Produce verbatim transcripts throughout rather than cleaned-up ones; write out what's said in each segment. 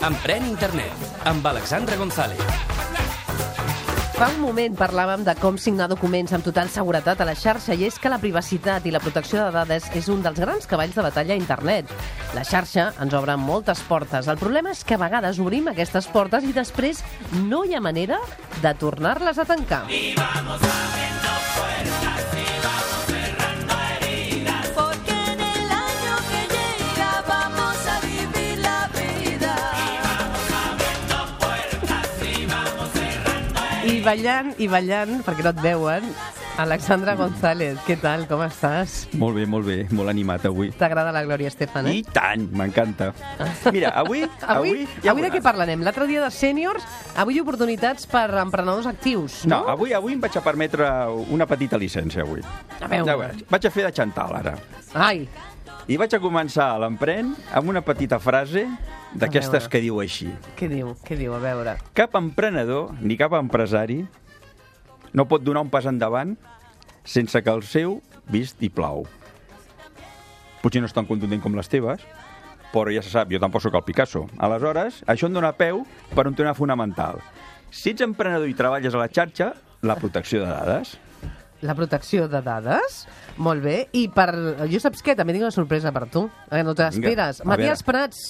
Emprèn Internet, amb Alexandra González. Fa un moment parlàvem de com signar documents amb total seguretat a la xarxa, i és que la privacitat i la protecció de dades és un dels grans cavalls de batalla a internet. La xarxa ens obre moltes portes. El problema és que a vegades obrim aquestes portes i després no hi ha manera de tornar-les a tancar. Y vamos abriendo puertas y vamos cerrando heridas, porque en el año que llega vamos a vivir la vida. Y vamos abriendo puertas y vamos cerrando heridas. I ballant, i ballant, perquè no et veuen, Alexandra González, què tal, com estàs? Molt bé, molt bé, molt animat avui. T'agrada la Glòria Estefan, eh? I tant, m'encanta. Mira, avui... Avui, avui, ja avui de què parlarem? L'altre dia de sèniors, avui oportunitats per emprenedors actius, No, no? avui avui em vaig a permetre una petita llicència, avui. A veure. Ja veuràs. Vaig a fer de Chantal, ara. Ai, I vaig a començar l'empren amb una petita frase d'aquestes veure. que diu així. què diu? Què diu? A veure. Cap emprenedor ni cap empresari no pot donar un pas endavant sense que el seu vist i plau. Potser no és tan contundent com les teves, però ja se sap, jo tampoc sóc el Picasso. Aleshores, això em dona peu per un tema fonamental. Si ets emprenedor i treballes a la xarxa, la protecció de dades. La protecció de dades? Molt bé. I per... Jo saps què? També tinc una sorpresa per tu. Eh, no te l'esperes. Vinga, a Matías veure. Prats.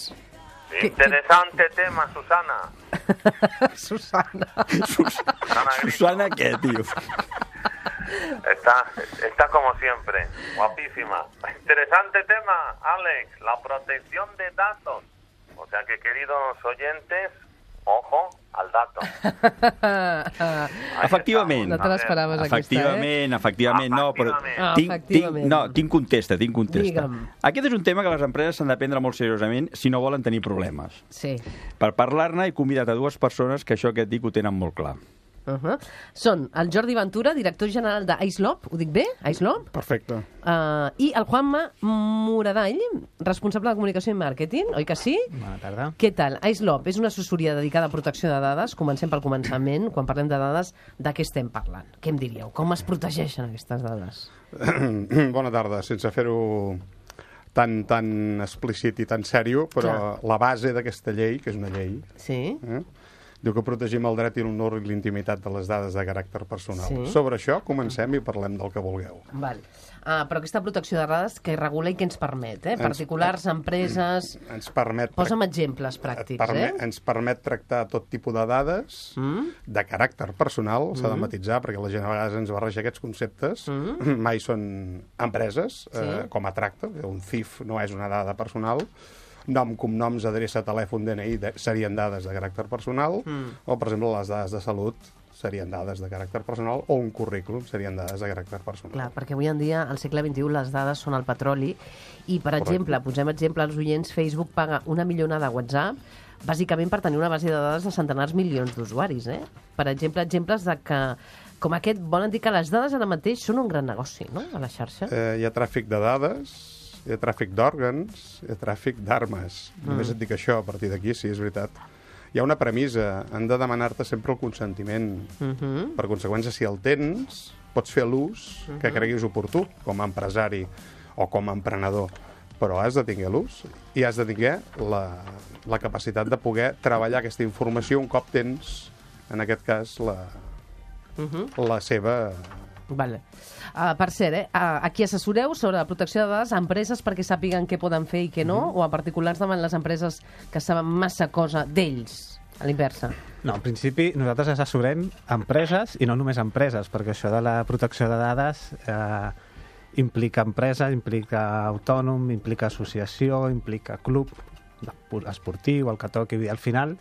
Que- Interesante tema, Susana. Susana. Sus Susana, què, tio? Está, está como siempre, guapísima. Interesante tema, Alex, la protección de datos. O sea que, queridos oyentes, ojo al dato. Efectivament. No te l'esperaves, aquesta, eh? Efectivament, efectivament, no, però Ah, tinc, tinc, efectivament. no, tinc contesta, tinc contesta. Digue'm. Aquest és un tema que les empreses s'han de prendre molt seriosament si no volen tenir problemes. Sí. Per parlar-ne he convidat a dues persones que això que et dic ho tenen molt clar. Uh -huh. Són el Jordi Ventura, director general d'Icelop, ho dic bé? Icelop? Perfecte. Uh, I el Juanma Moradall, responsable de comunicació i màrqueting, oi que sí? Bona tarda. Què tal? Icelop és una assessoria dedicada a protecció de dades. Comencem pel començament. Quan parlem de dades, de què estem parlant? Què em diríeu? Com es protegeixen aquestes dades? Bona tarda, sense fer-ho tan, tan explícit i tan sèrio, però la base d'aquesta llei, que és una llei, Sí? eh, diu que protegim el dret i l'honor i l'intimitat de les dades de caràcter personal. Sí. Sobre això comencem i parlem del que vulgueu. Val. Uh, però aquesta protecció de dades que regula i que ens permet, eh? Ens- Particulars, empreses... Ens permet... Posa'm exemples pràctics, permet, eh? Ens permet tractar tot tipus de dades Mm? de caràcter personal, s'ha de matitzar, perquè la gent a vegades ens barreja aquests conceptes. Mm. Mai són empreses, eh, Sí. com a tracte. Un C I F no és una dada personal. Nom, cognoms, adreça, telèfon, D N I de, serien dades de caràcter personal, Mm. o, per exemple, les dades de salut serien dades de caràcter personal, o un currículum serien dades de caràcter personal. Clar, perquè avui en dia, al segle vint-i-u, les dades són el petroli i, per Correcte. exemple, posem exemple als oients, Facebook paga una milionada a WhatsApp bàsicament per tenir una base de dades de centenars milions d'usuaris, eh? Per exemple, exemples de que, com aquest, volen dir que les dades ara mateix són un gran negoci, no?, a la xarxa. Eh, hi ha tràfic de dades, hi ha tràfic d'òrgans, hi ha tràfic d'armes. Mm. Només et dic això, a partir d'aquí, sí, és veritat. Hi ha una premissa, han de demanar-te sempre el consentiment. Uh -huh. Per conseqüència, si el tens, pots fer l'ús que creguis oportú, com a empresari o com a emprenedor. Però has de tenir l'ús i has de tenir la, la capacitat de poder treballar aquesta informació un cop tens, en aquest cas, la, Uh -huh. la seva... Vale. Uh, per cert, eh, uh, aquí assessoreu sobre la protecció de dades a empreses perquè sàpiguen què poden fer i què no, o a particulars davant les empreses que saben massa cosa d'ells, a l'inversa? No, en principi nosaltres assessorem empreses i no només empreses, perquè això de la protecció de dades eh, implica empresa, implica autònom, implica associació, implica club esportiu, el que toqui. I al final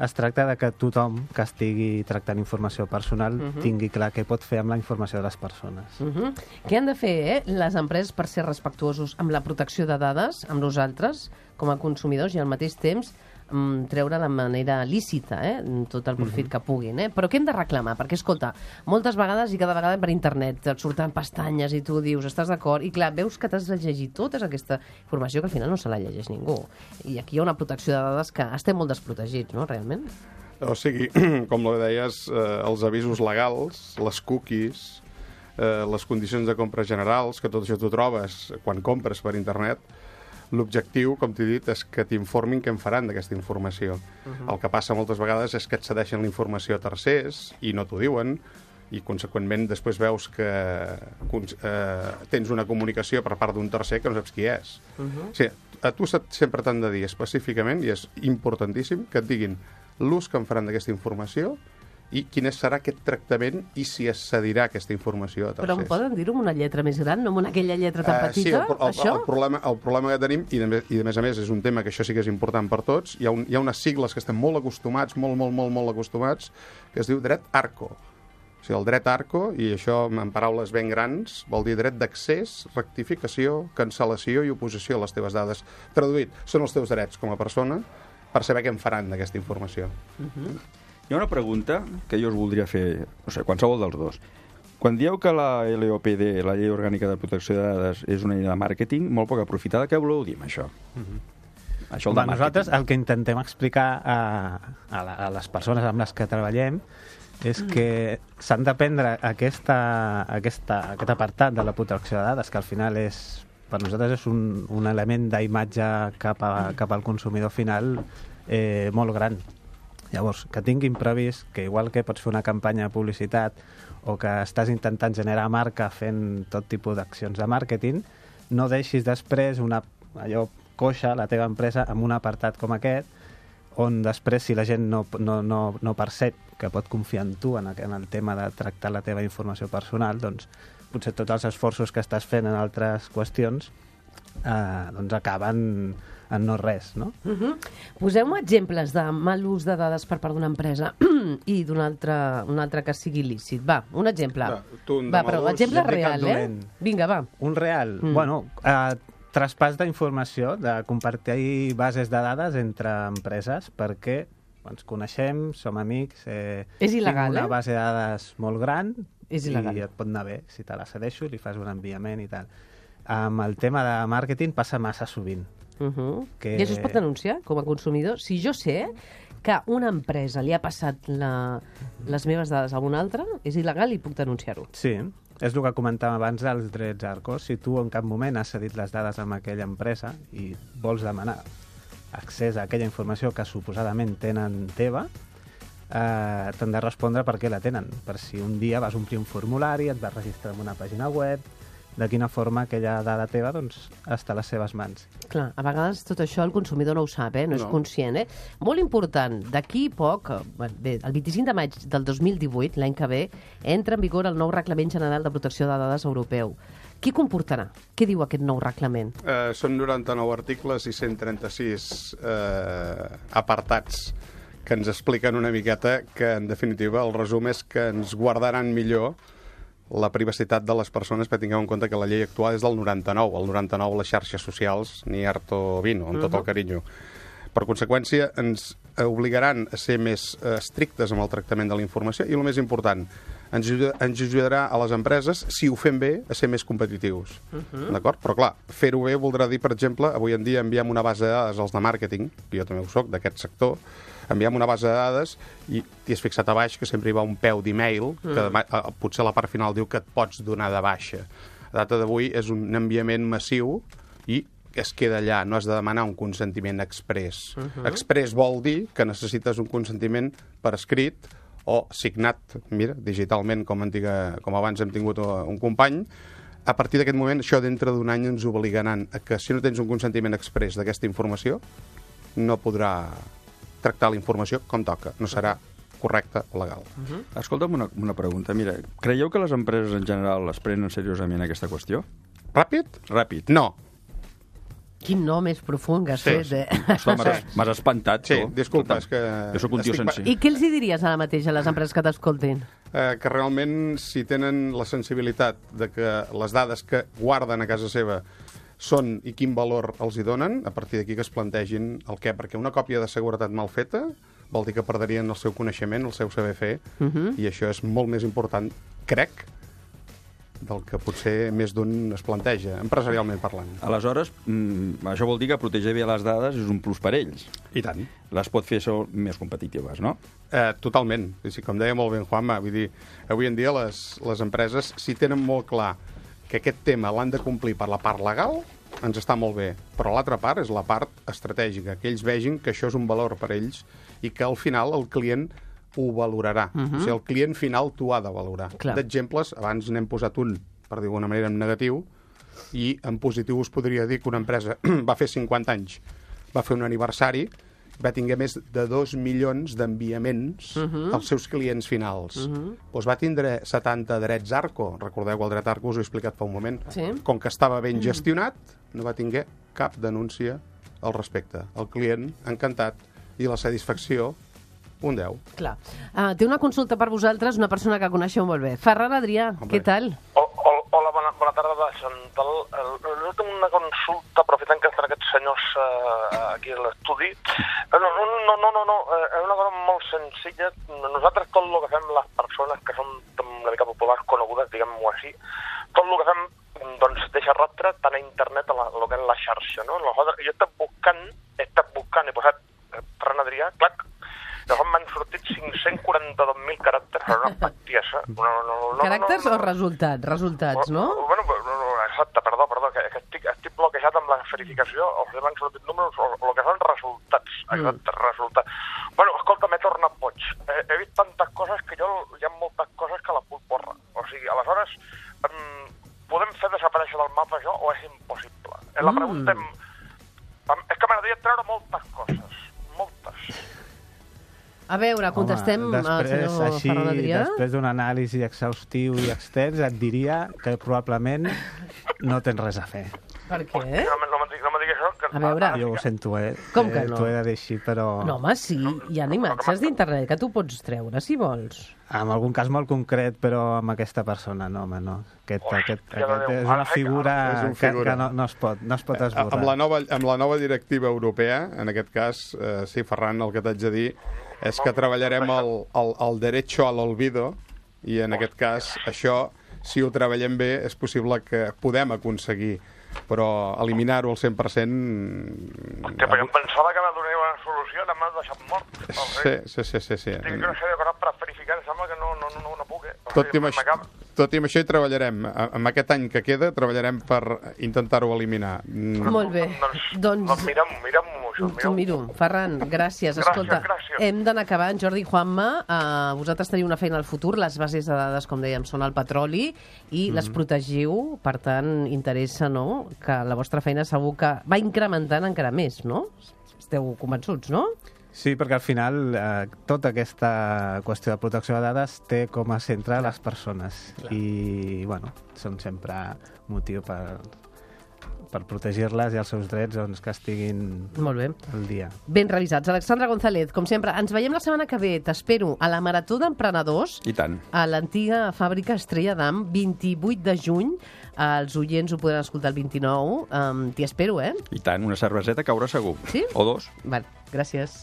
es tracta de que tothom que estigui tractant informació personal uh -huh. tingui clar què pot fer amb la informació de les persones. Uh -huh. Què han de fer eh, les empreses per ser respectuosos amb la protecció de dades, amb nosaltres, com a consumidors, i al mateix temps mm, treure de manera lícita eh, tot el profit uh -huh. que puguin. Eh? Però què hem de reclamar? Perquè, escolta, moltes vegades i cada vegada per internet et surten pestanyes i tu dius, estàs d'acord? I clar, veus que t'has de llegir tota aquesta informació que al final no se la llegeix ningú. I aquí hi ha una protecció de dades que estem molt desprotegits, no?, realment? O sigui, com ho deies, eh, els avisos legals, les cookies, eh, les condicions de compra generals, que tot això t'ho trobes quan compres per internet. L'objectiu, com t'he dit, és que t'informin què en faran d'aquesta informació. Uh-huh. El que passa moltes vegades és que et cedeixen la informació a tercers i no t'ho diuen, i, conseqüentment, després veus que eh, tens una comunicació per part d'un tercer que no saps qui és. Uh-huh. O sigui, a tu sempre t'han de dir específicament, i és importantíssim, que et diguin l'ús que en faran d'aquesta informació i quin serà aquest tractament i si es cedirà aquesta informació a tercers. Però em poden dir-ho amb una lletra més gran, no amb aquella lletra tan petita, uh, sí, el, el, això? El, problema, el problema que tenim, i de, i de més a més és un tema que això sí que és important per tots, hi ha, un, hi ha unes sigles que estem molt acostumats, molt, molt, molt, molt acostumats, que es diu dret ARCO. O sigui, el dret ARCO, i això en paraules ben grans, vol dir dret d'accés, rectificació, cancel·lació i oposició a les teves dades. Traduït, són els teus drets com a persona per saber què en faran d'aquesta informació. Uh-huh. Hi ha una pregunta que jo us voldria fer, no sé, qualsevol dels dos. Quan dieu que la L O P D, la Llei Orgànica de Protecció de Dades, és una llei de màrqueting molt poc aprofitada, què voleu dir amb això? Uh-huh. Això Va, nosaltres el que intentem explicar a, a, la, a les persones amb les que treballem és que s'han de prendre aquesta, aquesta, aquest apartat de la protecció de dades, que al final és, per nosaltres és un, un element d'imatge cap, a, cap al consumidor final eh, molt gran. Llavors, que tinguin previst que igual que pots fer una campanya de publicitat o que estàs intentant generar marca fent tot tipus d'accions de màrqueting, no deixis després una, allò coixa, la teva empresa, amb un apartat com aquest, on després, si la gent no, no, no, no percep que pot confiar en tu en, en el tema de tractar la teva informació personal, doncs potser tots els esforços que estàs fent en altres qüestions eh, doncs acaben en no res, no? Uh-huh. Poseu-me exemples de mal ús de dades per part d'una empresa i d'un altre, un altre que sigui il·lícit. Va, un exemple. Va, tu, un de va, però mal ús, exemple jo dic real, el eh? dolent. Vinga, va. Un real, Mm. mm. bueno, eh, traspàs d'informació, de compartir bases de dades entre empreses, perquè ens coneixem, som amics, eh, És il·legal, tinc una eh? base de dades molt gran És il·legal. i et pot anar bé, si te la cedeixo, li fas un enviament i tal. Amb el tema de màrqueting passa massa sovint. Uh-huh. Que- I això es pot denunciar com a consumidor? Si jo sé que una empresa li ha passat la, les meves dades a una altra, és il·legal i puc denunciar-ho. Sí, és el que comentàvem abans dels drets ARCO. Si tu en cap moment has cedit les dades amb aquella empresa i vols demanar accés a aquella informació que suposadament tenen teva, eh, t'han de respondre per què la tenen. Per si un dia vas omplir un formulari, et vas registrar en una pàgina web, de quina forma aquella dada teva doncs, està a les seves mans. Clar, a vegades tot això el consumidor no ho sap, eh? no, no. és No. conscient. Eh? Molt important, d'aquí poc, eh, bé, el vint-i-cinc de maig del dos mil divuit, l'any que ve, entra en vigor el nou Reglament General de Protecció de Dades Europeu. Què comportarà? Què diu aquest nou reglament? Eh, són noranta-nou articles i cent trenta-sis eh, apartats que ens expliquen una miqueta que, en definitiva, el resum és que ens guardaran millor la privacitat de les persones, perquè tingueu en compte que la llei actual és del noranta-nou. El noranta-nou les xarxes socials, ni harto vino, amb tot el carinyo. Per conseqüència, ens obligaran a ser més eh, estrictes amb el tractament de la informació i, el més important, ens, ajuda, ens ajudarà a les empreses, si ho fem bé, a ser més competitius. Uh-huh. D'acord? Però, clar, fer-ho bé voldrà dir, per exemple, avui en dia enviem una base de dades als de màrqueting, que jo també ho soc, d'aquest sector, enviem una base de dades i t'hi has fixat a baix que sempre hi va un peu d'email, mm. que demà, eh, potser la part final diu que et pots donar de baixa. A data d'avui és un enviament massiu i es queda allà, no has de demanar un consentiment express. Uh-huh. Express vol dir que necessites un consentiment per escrit o signat, mira, digitalment, com, antiga, com abans hem tingut un company. A partir d'aquest moment, això dintre d'un any ens obligaran a que si no tens un consentiment express d'aquesta informació, no podrà tractar la informació com toca. No serà correcte o legal. Uh-huh. Escolta'm una, una pregunta. Mira, creieu que les empreses en general es prenen seriosament aquesta qüestió? Ràpid? Ràpid. No. Quin nom més profund que has Sí. fet, eh? Ostres, m'has m'has espantat, Sí, tu. disculpa, és que... Jo sóc un tio estic pa- senzill. I què els hi diries ara mateix a les empreses que t'escoltin? Eh, que realment, si tenen la sensibilitat de que les dades que guarden a casa seva són i quin valor els hi donen, a partir d'aquí que es plantegin el què, perquè una còpia de seguretat mal feta vol dir que perderien el seu coneixement, el seu saber fer, Uh-huh. i això és molt més important, crec, del que potser més d'un es planteja, empresarialment parlant. Aleshores, mm, això vol dir que protegir bé les dades és un plus per ells. I tant. Les pot fer ser més competitives, no? Eh, totalment. És a dir, com deia molt bé en Juanma, vull dir, avui en dia les, les empreses, si tenen molt clar que aquest tema l'han de complir per la part legal, ens està molt bé. Però l'altra part és la part estratègica, que ells vegin que això és un valor per ells i que al final el client ho valorarà. Uh -huh. O sigui, el client final t'ho ha de valorar. Clar. D'exemples, abans n'hem posat un, per dir d'una manera, en negatiu, i en positiu us podria dir que una empresa va fer cinquanta anys, va fer un aniversari, va tinguer més de dos milions d'enviaments uh -huh. als seus clients finals. Uh -huh. Doncs va tindre setanta drets Arco. Recordeu que el dret Arco us ho he explicat fa un moment. Sí. Com que estava ben gestionat, no va tinguer cap denúncia al respecte. El client, encantat, i la satisfacció, un deu. Clar. Uh, té una consulta per vosaltres, una persona que coneixeu molt bé. Ferran Adrià, Hombre. què tal? O, o, hola, bona, bona tarda, Chantal. Jo tinc una consulta, aprofitant que estan aquests senyors uh, aquí a l'estudi. No, no, no, no, no, no. És una cosa molt senzilla. Nosaltres tot el que fem, les persones que són una mica populars, conegudes, diguem-ho així, tot el que fem doncs deixa rastre tant a internet a la, a lo que és la xarxa, no? Aleshores, jo he estat buscant, he estat buscant, he posat eh, Ferran Adrià, clac, llavors m'han sortit cinc-cents quaranta-dos mil caràcters, però una bestiesa. No, no, no, no, Caràcters no, no, o resultats? Resultats, no? Bueno, no, no, exacte, perdó, perdó, que, que estic, estic bloquejat amb la verificació, o sigui, m'han sortit números, o, o el que són resultats, exacte, mm. resultats. Bueno, escolta, m'he tornat boig. He, he vist tantes coses que jo, hi ha moltes coses que la puc borrar. O sigui, aleshores, um, podem fer desaparèixer del mapa això o és impossible? Mm. La pregunta em, és que m'agradaria treure moltes coses, moltes. A veure, contestem Home, al després, senyor així, Ferran Adrià. després d'un anàlisi exhaustiu i extens, et diria que probablement no tens res a fer. Per què? No, me- no, me digui- no me diguis això. Que, A veure. ara sí Jo ho que- sento, eh? Com que Eh, no? T'ho he de dir així, però... No, home, sí, hi ha imatges d'internet que tu pots treure, si vols. En algun cas molt concret, però amb aquesta persona, no, home, no. Aquest, Hosti, aquest, de aquest Déu. és una Ara, figura, és un que, figura. que no, no es pot, no es pot esborrar. Amb la, nova, amb la nova directiva europea, en aquest cas, eh, sí, Ferran, el que t'haig de dir és que treballarem el, el, el derecho al olvido i en aquest cas això, si ho treballem bé, és possible que podem aconseguir, però eliminar-ho al cent per cent... Hòstia, però jo em pensava que me donaria una solució, ara m'has deixat mort. O Sí, sigui, sí, sí, sí, sí. Tinc una sèrie de coses per verificar, em sembla que no, no, no, no puc, eh? O Tot i, sigui, amb això, m'acaba- tot i amb això hi treballarem. A- Amb aquest any que queda treballarem per intentar-ho eliminar. Mm. Molt bé. Doncs, Doncs... doncs mira'm, mira'm això, T'ho mira'm. miro. Ferran, gràcies. Gràcies, Escolta, gràcies. hem d'anar acabant. Jordi i Juanma, uh, vosaltres teniu una feina al futur. Les bases de dades, com dèiem, són el petroli i les protegiu. Per tant, interessa, no?, que la vostra feina segur que va incrementant encara més, no? Esteu convençuts, no? Sí, perquè al final eh, tota aquesta qüestió de protecció de dades té com a centre les persones. I, bueno, són sempre motiu per, per protegir-les i els seus drets doncs, que estiguin Molt bé. al dia. Ben revisats. Alexandra González, com sempre, ens veiem la setmana que ve. T'espero a la Marató d'Emprenedors I tant. a l'antiga fàbrica Estrella d'Am, vint-i-vuit de juny. Els oients ho podran escoltar el vint-i-nou. Um, T'hi espero, eh? I tant, una cerveseta caurà segur. Sí? O dos. Vale, gràcies.